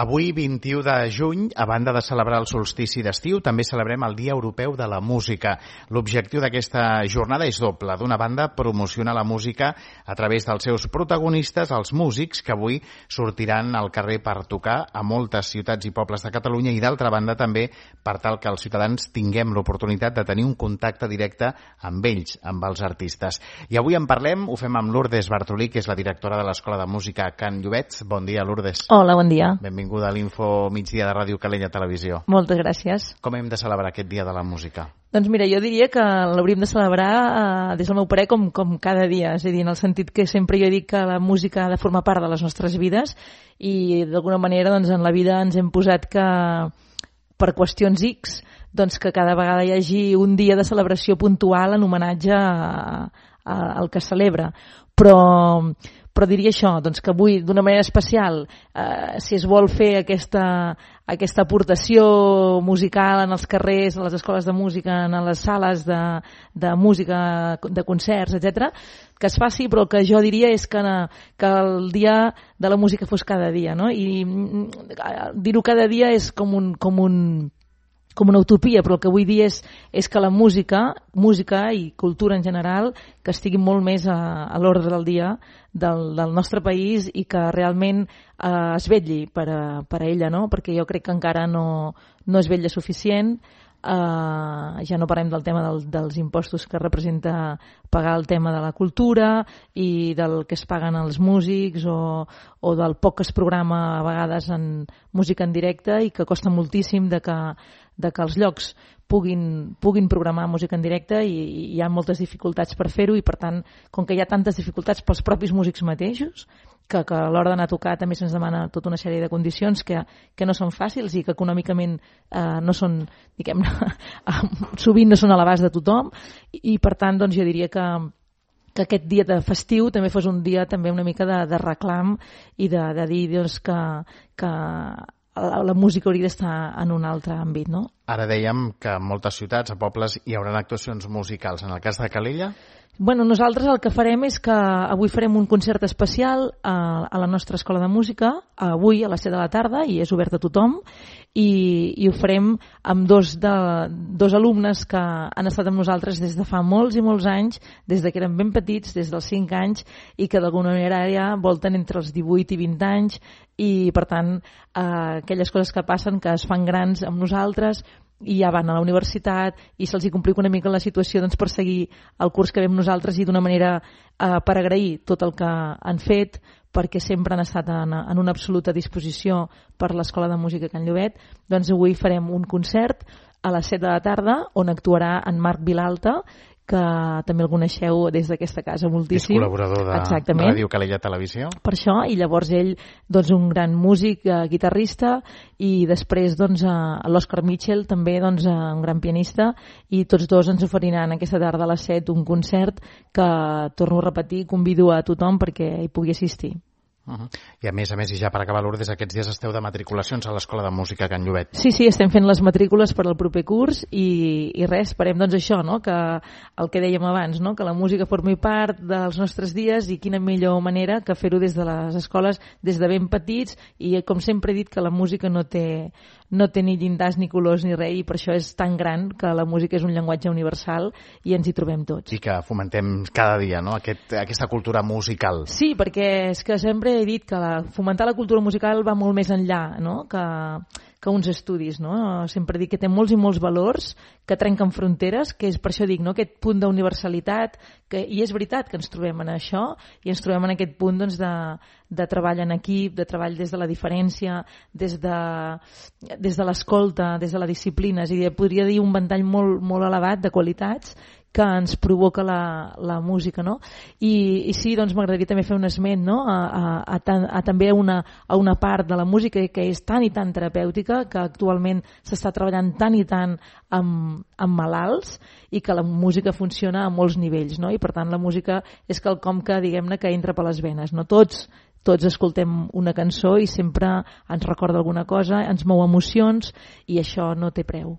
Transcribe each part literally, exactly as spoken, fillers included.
Avui, vint-i-u de juny, a banda de celebrar el solstici d'estiu, també celebrem el Dia Europeu de la Música. L'objectiu d'aquesta jornada és doble. D'una banda, promocionar la música a través dels seus protagonistes, els músics, que avui sortiran al carrer per tocar a moltes ciutats i pobles de Catalunya, i d'altra banda també per tal que els ciutadans tinguem l'oportunitat de tenir un contacte directe amb ells, amb els artistes. I avui en parlem, ho fem amb Lourdes Bartolí, que és la directora de l'Escola de Música Can Llobet. Bon dia, Lourdes. Hola, bon dia. Benvinguda a l'Info Migdia de Ràdio Calella Televisió. Moltes gràcies. Com hem de celebrar aquest Dia de la Música? Doncs mira, jo diria que l'hauríem de celebrar eh, des del meu parer com, com cada dia, és a dir, en el sentit que sempre jo dic que la música ha de formar part de les nostres vides i d'alguna manera doncs, en la vida ens hem posat que per qüestions X doncs, que cada vegada hi hagi un dia de celebració puntual en homenatge a, a, al que es celebra. Però... Però diria això, doncs que avui, d'una manera especial, eh, si es vol fer aquesta, aquesta aportació musical en els carrers, a les escoles de música, en les sales de, de música, de concerts, etcètera, que es faci, però el que jo diria és que, que el dia de la música fos cada dia, no? I dir-ho cada dia és com un... Com un com una utopia, però el que vull dir és, és que la música, música i cultura en general, que estigui molt més a, a l'ordre del dia del, del nostre país i que realment eh, es vetlli per a, per a ella, no? Perquè jo crec que encara no, no es vetlla suficient. Uh, ja no parlem del tema del, dels impostos que representa pagar el tema de la cultura i del que es paguen els músics o, o del poc que es programa a vegades en música en directe i que costa moltíssim de que, de que els llocs puguin, puguin programar música en directe i, i hi ha moltes dificultats per fer-ho i per tant, com que hi ha tantes dificultats pels propis músics mateixos, que, que a l'hora d'anar a tocar també se'ns demana tota una sèrie de condicions que, que no són fàcils i que econòmicament eh, no són, diguem-ne, sovint no són a l'abast de tothom i, i per tant doncs jo diria que que aquest dia de festiu també fos un dia també una mica de, de reclam i de, de dir doncs, que, que la, la música hauria d'estar en un altre àmbit, no? Ara dèiem que en moltes ciutats, a pobles, hi haurà actuacions musicals. En el cas de Calella? Bueno, nosaltres el que farem és que avui farem un concert especial a, a la nostra escola de música, avui a les set de la tarda, i és obert a tothom, i, i ho farem amb dos, de, dos alumnes que han estat amb nosaltres des de fa molts i molts anys, des de que eren ben petits, des dels cinc anys, i que d'alguna manera ja volten entre els divuit i vint anys, i per tant eh, aquelles coses que passen, que es fan grans amb nosaltres, i ja van a la universitat i se'ls hi complica una mica la situació doncs, per seguir el curs que vam nosaltres i d'una manera eh, per agrair tot el que han fet perquè sempre han estat en, en una absoluta disposició per l'Escola de Música Can Llobet, doncs avui farem un concert a les set de la tarda on actuarà en Marc Vilalta, que també el coneixeu des d'aquesta casa moltíssim. És col·laborador de Exactament. Ràdio Calella Televisió. Per això, i llavors ell, doncs, un gran músic, eh, guitarrista, i després doncs, eh, l'Òscar Mitchell, també doncs, eh, un gran pianista, i tots dos ens oferiran aquesta tarda a les set un concert que, torno a repetir, convido a tothom perquè hi pugui assistir. Uh-huh. I a més a més, i ja per acabar, Lourdes, aquests dies esteu de matriculacions a l'Escola de Música Can Llobet. Sí, sí, estem fent les matrícules per al proper curs i, i res, esperem doncs això, no? Que el que dèiem abans, no? Que la música formi part dels nostres dies i quina millor manera que fer-ho des de les escoles, des de ben petits, i com sempre he dit que la música no té, no té ni llindars ni colors ni res, i per això és tan gran que la música és un llenguatge universal i ens hi trobem tots. I que fomentem cada dia, no? Aquest, aquesta cultura musical. Sí, perquè és que sempre he dit que la, fomentar la cultura musical va molt més enllà, no? que, que uns estudis. No? Sempre dic que té molts i molts valors que trenquen fronteres, que és per això dic, no? Aquest punt d'universalitat, que, i és veritat que ens trobem en això, i ens trobem en aquest punt doncs, de, de treball en equip, de treball des de la diferència, des de, des de l'escolta, des de la disciplina. És a dir, podria dir un ventall molt, molt elevat de qualitats que ens provoca la, la música, no? I, i sí, doncs m'agradaria també fer un esment, no? a, a, a, a, a també a una, a una part de la música que és tan i tan terapèutica, que actualment s'està treballant tant i tant amb, amb malalts, i que la música funciona a molts nivells, no? I per tant la música és quelcom que, diguem-ne, que entra per les venes, no? Tots tots escoltem una cançó i sempre ens recorda alguna cosa, ens mou emocions, i això no té preu.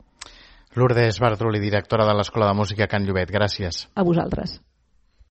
Lourdes Bartolí, directora de l'Escola de Música Can Llobet, gràcies. A vosaltres.